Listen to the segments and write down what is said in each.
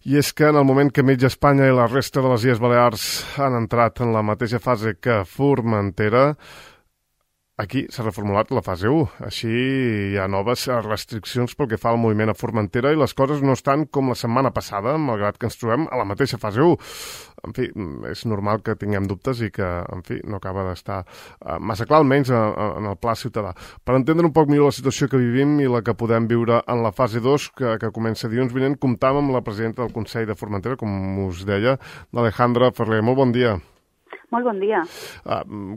I és que en el moment que mitja Espanya i la resta de les Illes Balears han entrat en la mateixa fase que Formentera, aquí s'ha reformulat la fase 1. Així hi ha noves restriccions pel que fa al moviment a Formentera i les coses no estan com la setmana passada, malgrat que ens trobem a la mateixa fase 1. En fi, és normal que tinguem dubtes i que, en fi, no acaba d'estar massa clar, almenys en el pla ciutadà. Per entendre un poc millor la situació que vivim i la que podem viure en la fase 2, que comença dilluns vinent, comptàvem amb la presidenta del Consell de Formentera, com us deia, l'Alejandra Ferrer. Molt bon dia. Molt bon dia.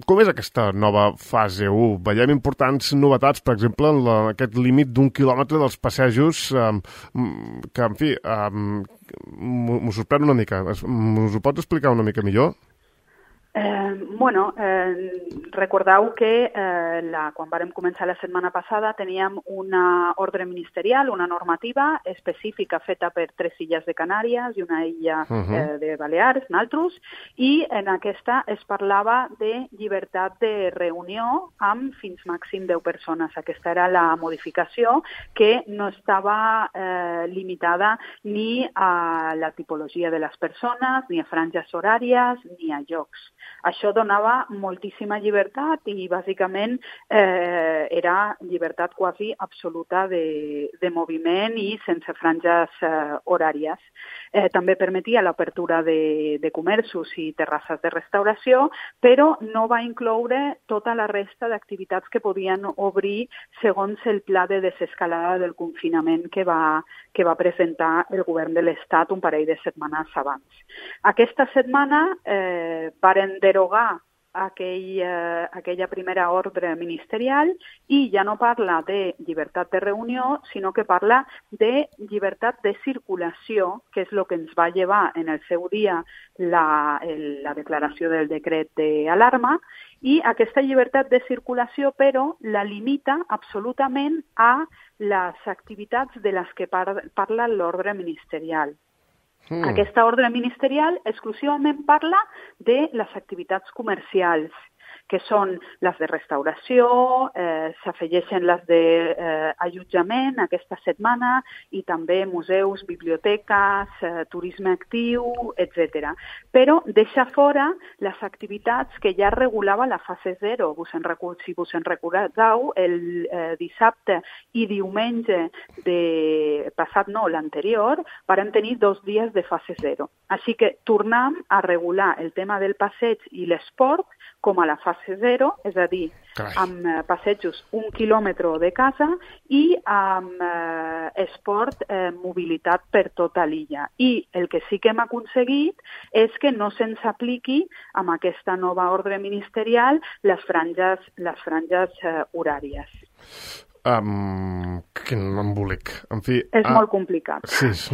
Com és aquesta nova fase 1? Veiem importants novetats, per exemple, en aquest límit d'1 quilòmetre dels passejos, que, en fi, m'ho sorprèn una mica. Us ho pots explicar una mica millor? Recordeu que quan vàrem començar la setmana passada teníem una ordre ministerial, una normativa específica feta per 3 illes de Canàries i una illa de Balears, naltros, i en aquesta es parlava de llibertat de reunió amb fins màxim 10 persones. Aquesta era la modificació, que no estava limitada ni a la tipologia de les persones, ni a franges horàries, ni a llocs. Això donava moltíssima llibertat i, bàsicament, era llibertat quasi absoluta de moviment i sense franges horàries. També permetia l'apertura de comerços i terrasses de restauració, però no va incloure tota la resta d'activitats que podien obrir segons el pla de desescalada del confinament que va presentar el govern de l'Estat un parell de setmanes abans. Aquesta setmana varen derogar aquella primera ordre ministerial i ja no parla de llibertat de reunió, sinó que parla de llibertat de circulació, que és el que ens va llevar en el seu dia la declaració del decret d'alarma, i aquesta llibertat de circulació, però, la limita absolutament a les activitats de les que parla l'ordre ministerial. Aquesta ordre ministerial exclusivament parla de les activitats comercials, que són les de restauració, s'afegeixen les d'allotjament aquesta setmana i també museus, biblioteques, turisme actiu, etc. Però deixa fora les activitats que ja regulava la fase 0. Si vos en recordeu, el dissabte i diumenge l'anterior, vàrem tenir 2 dies de fase 0. Així que tornem a regular el tema del passeig i l'esport com a la fase 0, és a dir, amb passejos 1 quilòmetre de casa i amb esport, mobilitat per tota l'illa. I el que sí que hem aconseguit és que no se'ns apliqui amb aquesta nova ordre ministerial les franges horàries. Quin embolic. En fi... És molt complicat. Sí, és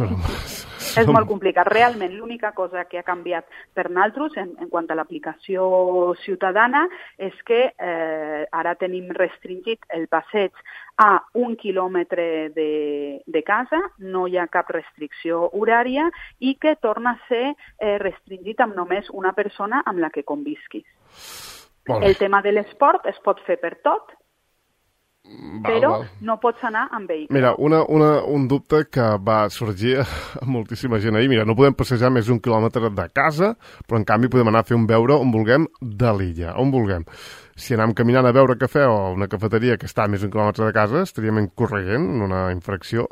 molt complicat. Realment, l'única cosa que ha canviat per nosaltres en quant a l'aplicació ciutadana és que ara tenim restringit el passeig a 1 quilòmetre de casa, no hi ha cap restricció horària i que torna a ser restringit amb només una persona amb la que convisquis. El tema de l'esport es pot fer per tot, però no pots anar amb vehicle. Mira, un dubte que va sorgir a moltíssima gent ahir. Mira, no podem passejar més d'1 quilòmetre de casa, però en canvi podem anar a fer un beure on vulguem de l'illa, on vulguem. Si anem caminant a beure cafè o a una cafeteria que està a més d'1 quilòmetre de casa, estaríem incorrent en una infracció?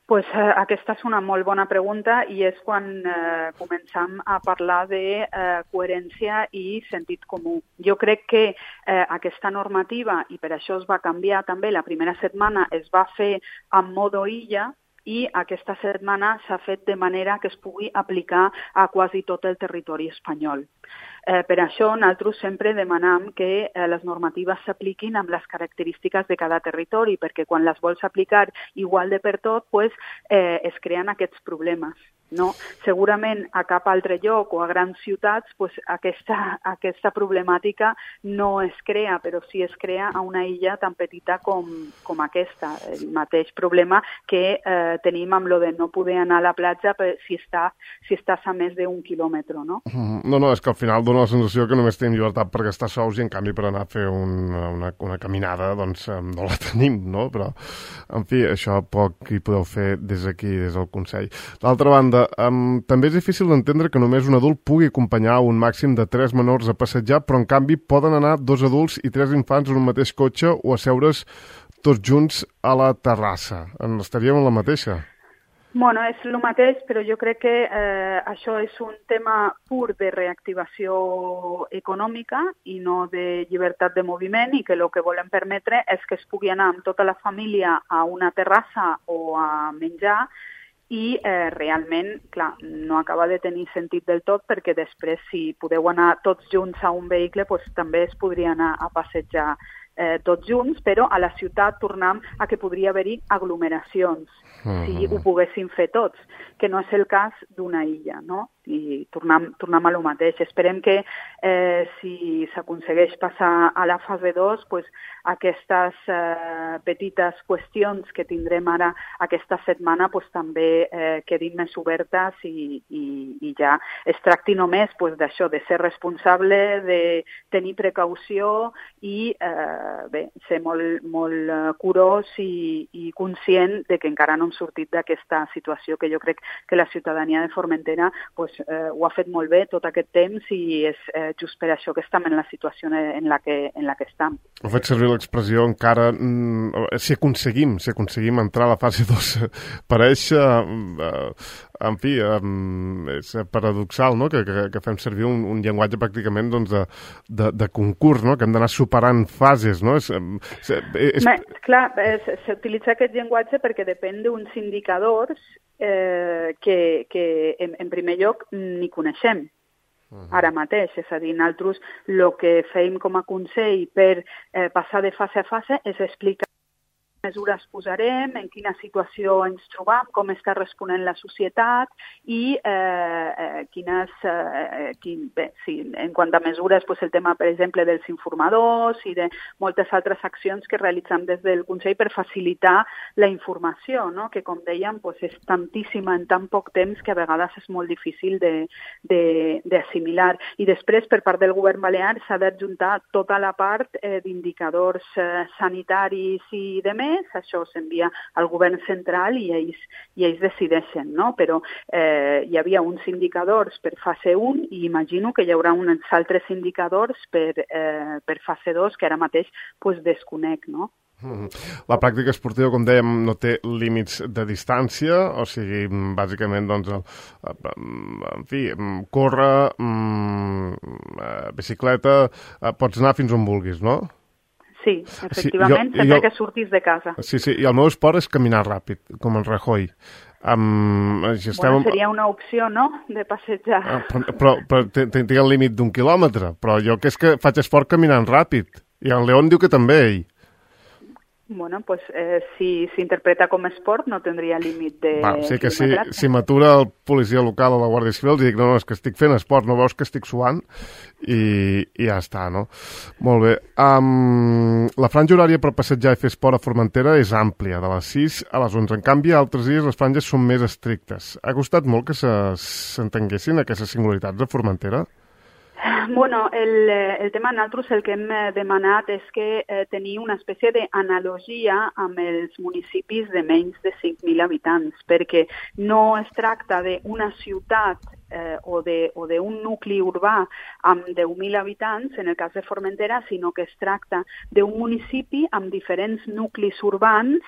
Pues aquesta és una molt bona pregunta i és quan començam a parlar de coherència i sentit comú. Jo crec que aquesta normativa, i per això es va canviar també, la primera setmana es va fer en modo illa i aquesta setmana s'ha fet de manera que es pugui aplicar a quasi tot el territori espanyol. Per això nosaltres sempre demanam que les normatives s'apliquin amb les característiques de cada territori, perquè quan les vols aplicar igual de per tot, es creen aquests problemes. no? Segurament a cap altre lloc o a grans ciutats aquesta problemàtica no es crea, però sí es crea a una illa tan petita com aquesta. El mateix problema que tenim amb lo de no poder anar a la platja si estàs a més d'1 quilòmetre, no? No, és que al final dona la sensació que només tenim llibertat per gastar sous i en canvi per anar a fer una caminada doncs no la tenim, no? Però, en fi, això poc hi podeu fer des d'aquí, des del Consell. D'altra banda, també és difícil d'entendre que només un adult pugui acompanyar un màxim de 3 menors a passejar, però en canvi poden anar 2 adults i 3 infants en un mateix cotxe o asseure's tots junts a la terrassa. Estaríem en la mateixa? Bueno, és el mateix, però jo crec que això és un tema pur de reactivació econòmica i no de llibertat de moviment, i que el que volem permetre és que es pugui anar amb tota la família a una terrassa o a menjar i realment, clar, no acaba de tenir sentit del tot, perquè després si podeu anar tots junts a un vehicle doncs també es podria anar a passejar tots junts, però a la ciutat tornem a que podria haver-hi aglomeracions si ho poguessin fer tots, que no és el cas d'una illa, no? I tornem a lo mateix. Esperem que si s'aconsegueix passar a la fase 2, pues, aquestes petites qüestions que tindrem ara aquesta setmana pues, també quedin més obertes i ja es tracti només pues, d'això, de ser responsable, de tenir precaució i ser molt curós i conscient de que encara no hem sortit d'aquesta situació, que jo crec que la ciutadania de Formentera pues, ho ha fet molt bé tot aquest temps i és just per això que estem en la situació en la que estem. Heu fet servir l'expressió encara si aconseguim entrar a la fase 2 pareix en fi, és paradoxal, no? Que fem servir un llenguatge pràcticament doncs, de concurs, no? Que hem d'anar superant fases, no? Clar, s'utilitza aquest llenguatge perquè depèn d'uns indicadors que en primer lloc ni coneixem ara mateix, és a dir, nosaltres el que fem com a Consell per passar de fase a fase és explicar mesures posarem, en quina situació ens trobam, com està responent la societat i en quant a mesures, pues, el tema, per exemple, dels informadors i de moltes altres accions que realitzem des del Consell per facilitar la informació, no? Que, com dèiem, pues, és tantíssima en tan poc temps que a vegades és molt difícil d'assimilar. I després, per part del govern balear, s'ha d'adjuntar tota la part d'indicadors sanitaris i de més. Això s'envia al govern central i ells decideixen, no? Però hi havia uns indicadors per fase 1 i imagino que hi haurà uns altres indicadors per fase 2 que ara mateix pues, desconec, no? La pràctica esportiva, com dèiem, no té límits de distància, o sigui, bàsicament, doncs, en fi, córrer, bicicleta, pots anar fins on vulguis, no? Sí, efectivament, sempre que surtis de casa. Sí, i el meu esport és caminar ràpid, com el Rajoy. Seria una opció, no?, de passejar. Però tinc el límit d'1 quilòmetre, però jo que és que faig esport caminant ràpid. I en León diu que també ell. Bueno, pues si s'interpreta com esport no tindria límit de sí que si m'atura el policia local o la Guàrdia Civil i dic, no, és que estic fent esport, no veus que estic suant? I ja està, no? Molt bé. La franja horària per passejar i fer esport a Formentera és àmplia, de les 6 a les 11. En canvi, altres dies les franges són més estrictes. Ha costat molt que s'entenguessin aquestes singularitats de Formentera? Bueno, el tema nosaltres el que hem demanat és que tenir una espècie d'analogia amb els municipis de menys de 5.000 habitants, perquè no es tracta d'una ciutat o d'un nucli urbà amb 10.000 habitants, en el cas de Formentera, sinó que es tracta d'un municipi amb diferents nuclis urbans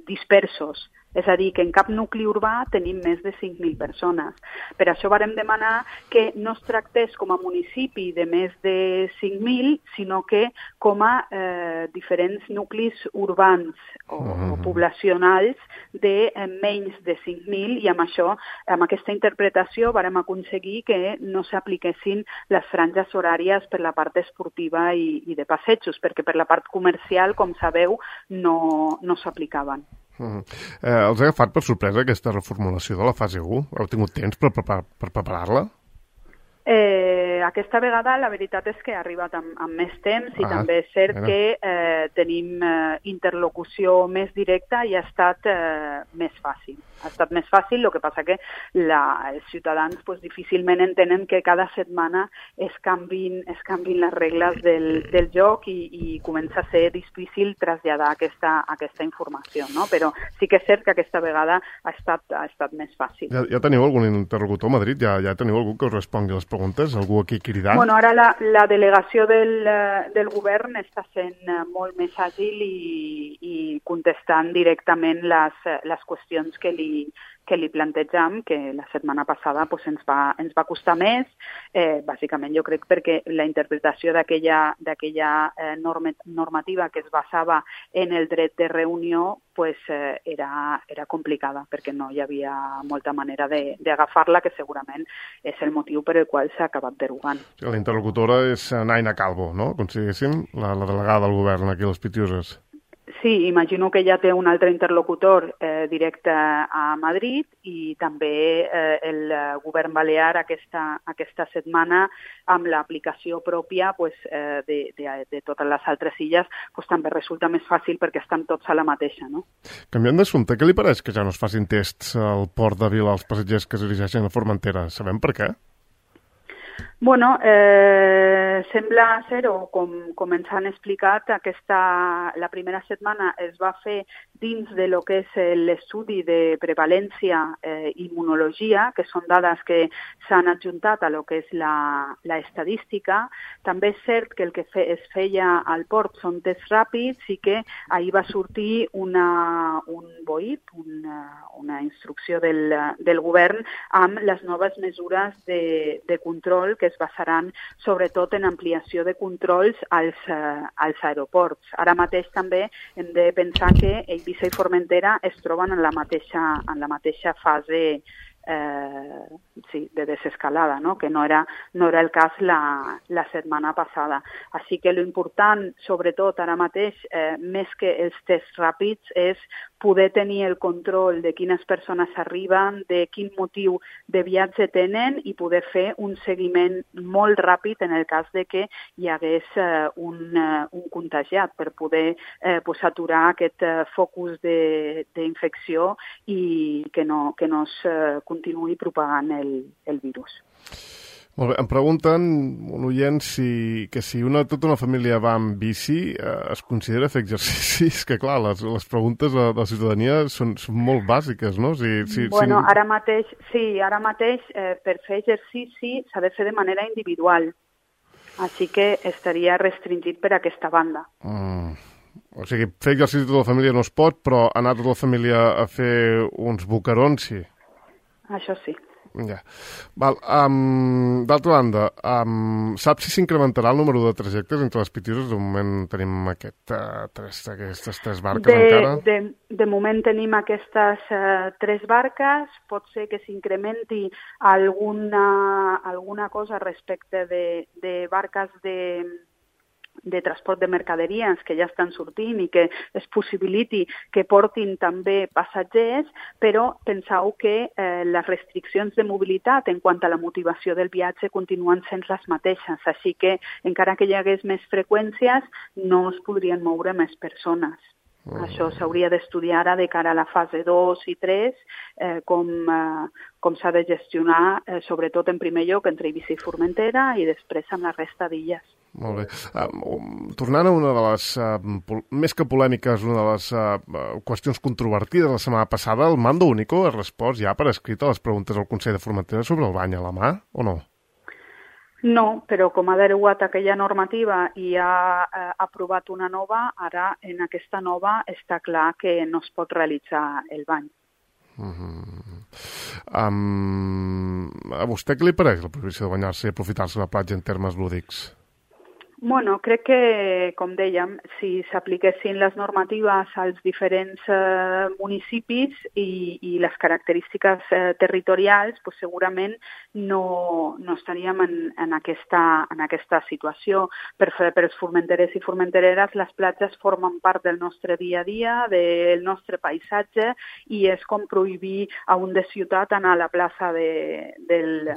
dispersos. És a dir, que en cap nucli urbà tenim més de 5.000 persones. Per això vàrem demanar que no es tractés com a municipi de més de 5.000, sinó que com a diferents nuclis urbans o poblacionals de menys de 5.000, i amb això, amb aquesta interpretació, vàrem aconseguir que no s'apliquessin les franges horàries per la part esportiva i de passejos, perquè per la part comercial, com sabeu, no s'aplicaven. Els ha agafat per sorpresa aquesta reformulació de la fase 1? Heu tingut temps per preparar-la? Aquesta vegada la veritat és que ha arribat amb més temps i també és cert que tenim interlocució més directa i ha estat més fàcil. Ha estat més fàcil, el que passa que els ciutadans difícilment entenen que cada setmana es canvin les regles del joc i comença a ser difícil traslladar aquesta informació, no? Però sí que és cert que aquesta vegada ha estat més fàcil. Ja teniu algun interlocutor a Madrid? Ja teniu algú que us respongui les preguntes? Algú aquí cridar? Bueno, ara la delegació del govern està sent molt més àgil i contestant directament les qüestions que li plantejam, que la setmana passada ens va costar més, bàsicament jo crec perquè la interpretació d'aquella normativa que es basava en el dret de reunió era complicada, perquè no hi havia molta manera d'agafar-la, que segurament és el motiu per el qual s'ha acabat derogant. La interlocutora és Naina Calvo, no? Com si diguéssim, la delegada del govern aquí a les Pitiuses. Sí, imagino que ja té un altre interlocutor directe a Madrid i també el govern balear aquesta setmana amb l'aplicació pròpia de totes les altres illes també resulta més fàcil perquè estan tots a la mateixa, no? Canviant d'assumpte, què li pareix que ja no es facin tests al port de Vila als passatgers que es dirigeixen a Formentera? Sabem per què? Bueno, sembla ser, o com ens han explicat, la primera setmana es va fer dins de lo que és l'estudi de prevalència i immunologia, que són dades que s'han adjuntat a lo que és l'estadística. També és cert que el que es feia al port són tests ràpids i que ahir va sortir un BOIP, una instrucció del govern amb les noves mesures de control que es basaran sobretot en ampliació de controls als aeroports. Ara mateix també hem de pensar que Eivissa i Formentera es troben en la mateixa fase de desescalada, no? Que no era el cas la setmana passada. Així que l'important, sobretot ara mateix, més que els tests ràpids, és poder tenir el control de quines persones arriben, de quin motiu de viatge tenen i poder fer un seguiment molt ràpid en el cas de que hi hagués un contagiat per poder aturar aquest focus d'infecció i que no es continuï propagant el virus. Molt bé, em pregunten un oient que si tota una família va amb bici es considera fer exercicis, que clar, les preguntes de la ciutadania són molt bàsiques, no? Ara mateix per fer exercici s'ha de fer de manera individual, així que estaria restringit per aquesta banda. O sigui, fer exercici tota la família no es pot, però anar tota la família a fer uns boquerons, sí. Això sí. Ja. D'altra banda, saps si s'incrementarà el número de trajectes entre les Pitiuses? De moment tenim aquestes tres barques encara. De moment tenim aquestes tres barques. Pot ser que s'incrementi alguna cosa respecte de barques de transport de mercaderies que ja estan sortint i que es possibiliti que portin també passatgers, però penseu que les restriccions de mobilitat en quant a la motivació del viatge continuen sent les mateixes, així que encara que hi hagués més freqüències no es podrien moure més persones. Això s'hauria d'estudiar ara de cara a la fase 2 i 3, com s'ha de gestionar, sobretot en primer lloc entre Eivissa i Formentera i després amb la resta d'illes. Molt bé. Tornant a una de les, més que polèmiques, una de les qüestions controvertides la setmana passada, el Mando Único ha respost ja per escrit a les preguntes al Consell de Formentera sobre el bany a la mà, o no? No, però com ha derogat aquella normativa i ha aprovat una nova, ara en aquesta nova està clar que no es pot realitzar el bany. A vostè què li pareix la prohibició de banyar-se i aprofitar-se de la platja en termes lúdics? Bueno, crec que, com dèiem, si s'apliquessin les normatives als diferents municipis i les característiques territorials, pues segurament no estaríem en aquesta situació. Per els formenterers i formentereres, les platges formen part del nostre dia a dia, del nostre paisatge, i és com prohibir a un de ciutat anar a la plaça de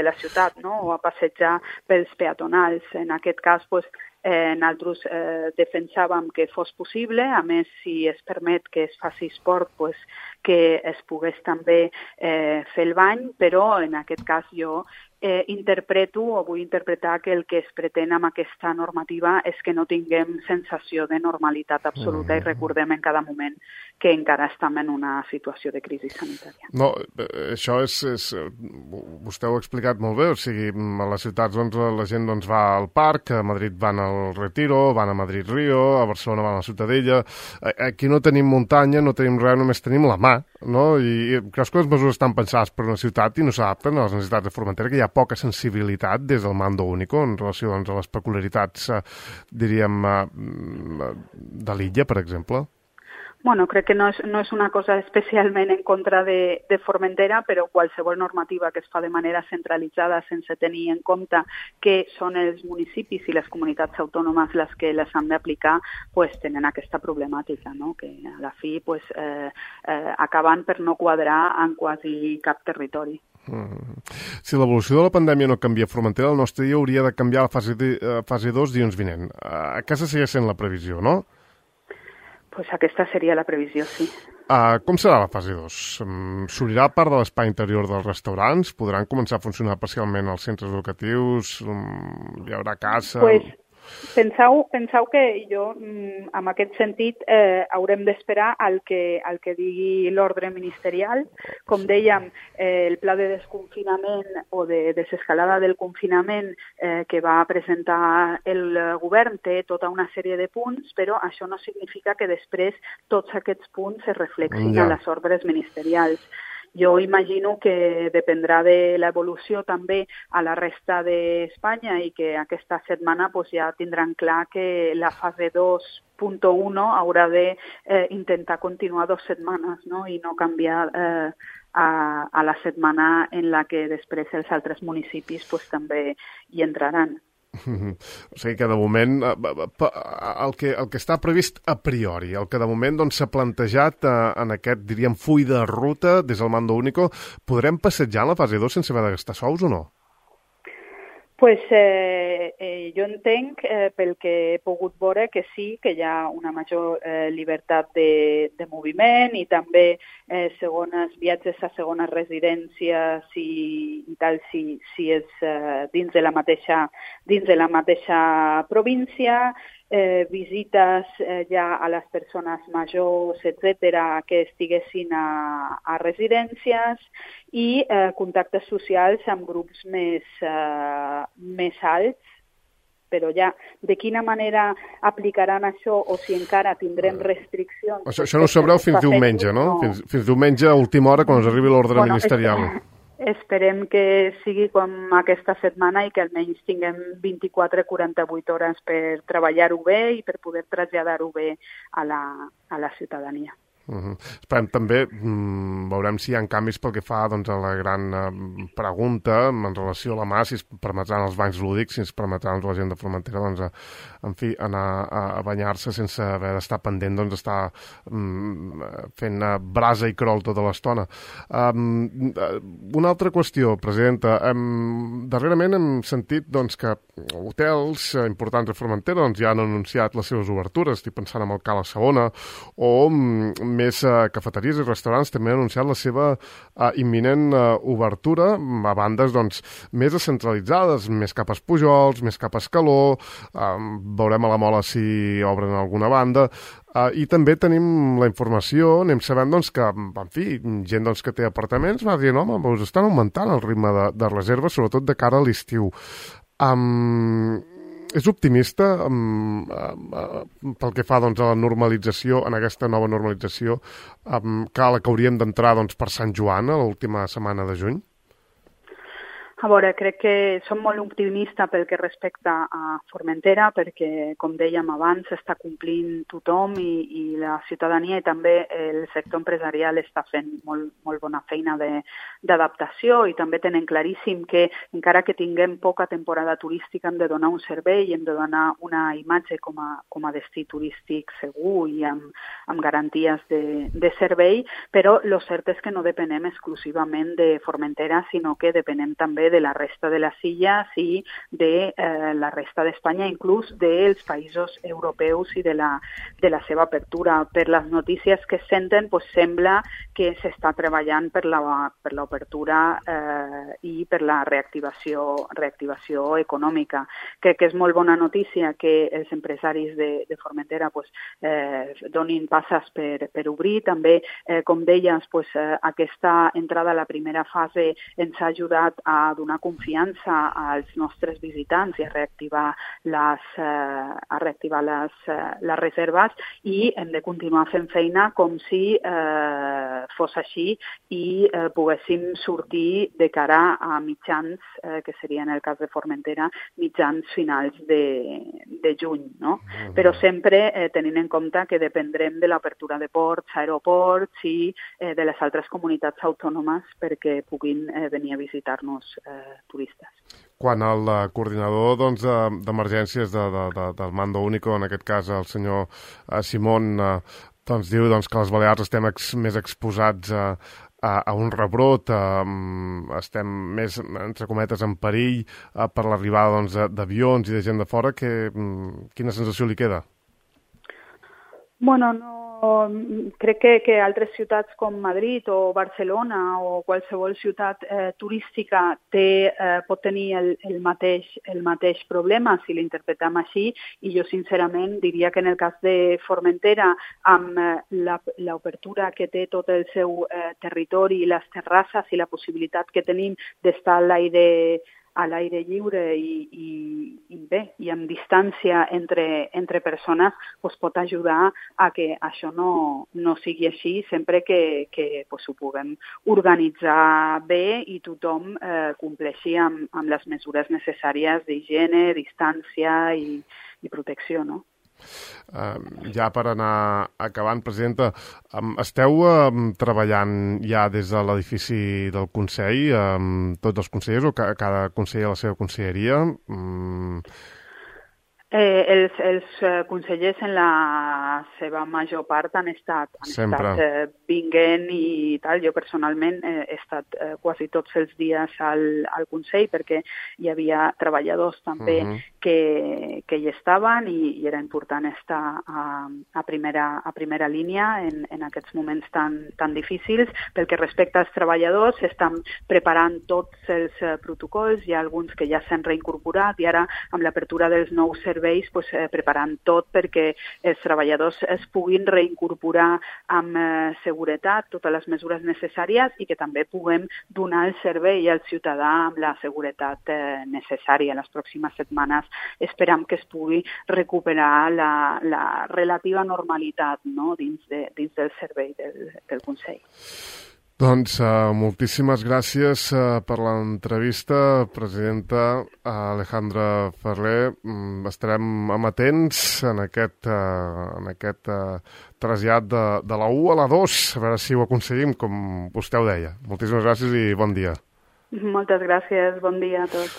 la ciutat, no? O a passejar pels peatonals. En aquest cas, pues, nosaltres defensàvem que fos possible, a més, si es permet que es faci esport, pues, que es pogués també fer el bany, però en aquest cas jo interpreto o vull interpretar que el que es pretén amb aquesta normativa és que no tinguem sensació de normalitat absoluta i recordem en cada moment que encara estem en una situació de crisi sanitària. No, això és vostè ho ha explicat molt bé, o sigui, a les ciutats doncs, la gent doncs, va al parc, a Madrid van al Retiro, van a Madrid-Rio, a Barcelona van a la Ciutadella, aquí no tenim muntanya, no tenim res, només tenim la mà, no? I creus que les mesures estan pensades per una ciutat i no s'adapten a les necessitats de Formentera, que hi ha poca sensibilitat des del Mando Único en relació doncs, a les peculiaritats, diríem, de l'illa, per exemple? Bueno, crec que no és una cosa especialment en contra de Formentera, però qualsevol normativa que es fa de manera centralitzada sense tenir en compte que són els municipis i les comunitats autònomes les que les han d'aplicar, pues, tenen aquesta problemàtica, no? Que a la fi pues, acaben per no quadrar en quasi cap territori. Si l'evolució de la pandèmia no canvia a Formentera, el nostre dia hauria de canviar a la fase 2 dilluns vinent. Aquesta segueix sent la previsió, no? Pues aquesta seria la previsió, sí. Com serà la fase 2? S'obrirà part de l'espai interior dels restaurants? Podran començar a funcionar parcialment els centres educatius? Hi haurà caça? Penseu que jo, en aquest sentit, haurem d'esperar al que digui l'ordre ministerial. Com dèiem, el pla de desconfinament o de desescalada del confinament que va presentar el govern té tota una sèrie de punts, però això no significa que després tots aquests punts es reflexin a les ordres ministerials. Jo imagino que dependrà de l'evolució també a la resta d'Espanya i que aquesta setmana pues, ja tindran clar que la fase 2.1 haurà d'intentar continuar 2 setmanes, no? I no canviar a la setmana en la que després els altres municipis pues, també hi entraran. O sigui que de moment el que està previst a priori, el que de moment doncs, s'ha plantejat en aquest, diríem, full de ruta des del Mando Único, podrem passejar en la fase 2 sense haver de gastar sous o no? Pues jo entenc, pel que he pogut veure, que sí, que hi ha una major llibertat de moviment i també segones viatges a segones residències i tal, si és dins de la mateixa província, visites ja a les persones majors, etcètera, que estiguessin a residències i contactes socials amb grups més alts, però ja de quina manera aplicaran això o si encara tindrem restriccions... Això no ho sabreu fins diumenge, no? Fins diumenge a última hora quan us arribi l'ordre ministerial. Esperem que sigui com aquesta setmana i que almenys tinguem 24-48 hores per treballar-ho bé i per poder traslladar-ho bé a la ciutadania. Esperem també, veurem si hi ha canvis pel que fa doncs, a la gran pregunta en relació a la mà, si es permetran els banys lúdics, si es permetran la gent de Formentera doncs, en fi, anar a banyar-se sense haver d'estar pendent d'estar fent brasa i crol tota l'estona. Una altra qüestió, presidenta. Darrerament hem sentit doncs, que hotels importants a Formentera doncs, ja han anunciat les seves obertures. Estic pensant en el Cala Segona o més cafeteries i restaurants també han anunciat la seva imminent obertura a bandes doncs, més descentralitzades, més cap a Pujols, més cap a Escaló, veurem a la Mola si obren alguna banda, i també tenim la informació, anem sabent doncs, que, en fi, gent doncs, que té apartaments va dir, home, us estan augmentant el ritme de reserves, sobretot de cara a l'estiu. És optimista pel que fa doncs, a la normalització, en aquesta nova normalització, que hauríem d'entrar doncs, per Sant Joan, a l'última setmana de juny? A veure, crec que som molt optimistes pel que respecta a Formentera, perquè, com dèiem abans, està complint tothom i la ciutadania i també el sector empresarial està fent molt bona feina d'adaptació i també tenen claríssim que encara que tinguem poca temporada turística hem de donar un servei i hem de donar una imatge com a destí turístic segur i amb garanties de servei, però el cert és que no depenem exclusivament de Formentera, sinó que depenem també de la resta de les illes i de la resta d'Espanya, inclús dels països europeus i de la seva apertura. Per les notícies que senten, sembla que s'està treballant per l'obertura i per la reactivació econòmica. Crec que és molt bona notícia que els empresaris de Formentera donin passes per obrir. També, com deies, aquesta entrada a la primera fase ens ha ajudat a donar confiança als nostres visitants i a reactivar les reserves i hem de continuar fent feina com si fos així i poguéssim sortir de cara a mitjans, que seria en el cas de Formentera, mitjans finals de juny, no? Però sempre tenint en compte que dependrem de l'apertura de ports, aeroports i de les altres comunitats autònomes perquè puguin venir a visitar-nos turistes. Quan el coordinador d'emergències del Mando Único, en aquest cas el senyor Simón, diu que les Balears estem més exposats a un rebrot, estem més, entre cometes, en perill per l'arribada d'avions i de gent de fora, quina sensació li queda? Bueno, crec que altres ciutats com Madrid o Barcelona o qualsevol ciutat turística pot tenir el mateix problema si l'interpretem així, i jo sincerament diria que en el cas de Formentera, amb l'obertura que té tot el seu territori, les terrasses i la possibilitat que tenim d'estar a l'aire lliure i amb distància entre persones, pot ajudar a que això no sigui així, sempre que ho puguem organitzar bé i tothom compleixi amb les mesures necessàries d'higiene, distància i protecció, no? Ja per anar acabant, presidenta, esteu treballant ja des de l'edifici del Consell, tots els consellers o cada conseller a la seva conselleria? Els consellers en la seva major part han estat vinguent i tal. Jo personalment he estat quasi tots els dies al Consell perquè hi havia treballadors també que hi estaven i era important estar a primera línia en aquests moments tan difícils. Pel que respecta als treballadors, estan preparant tots els protocols, hi ha alguns que ja s'han reincorporat i ara amb l'apertura dels nous serveis preparant tot perquè els treballadors es puguin reincorporar amb seguretat, totes les mesures necessàries i que també puguem donar el servei al ciutadà amb la seguretat necessària. En les pròximes setmanes esperam que es pugui recuperar la relativa normalitat, no?, dins del servei del Consell. Doncs moltíssimes gràcies per l'entrevista, presidenta Alejandra Ferrer. Estarem amatents en aquest trasllat de la 1 a la 2, a veure si ho aconseguim, com vostè ho deia. Moltíssimes gràcies i bon dia. Moltes gràcies, bon dia a tots.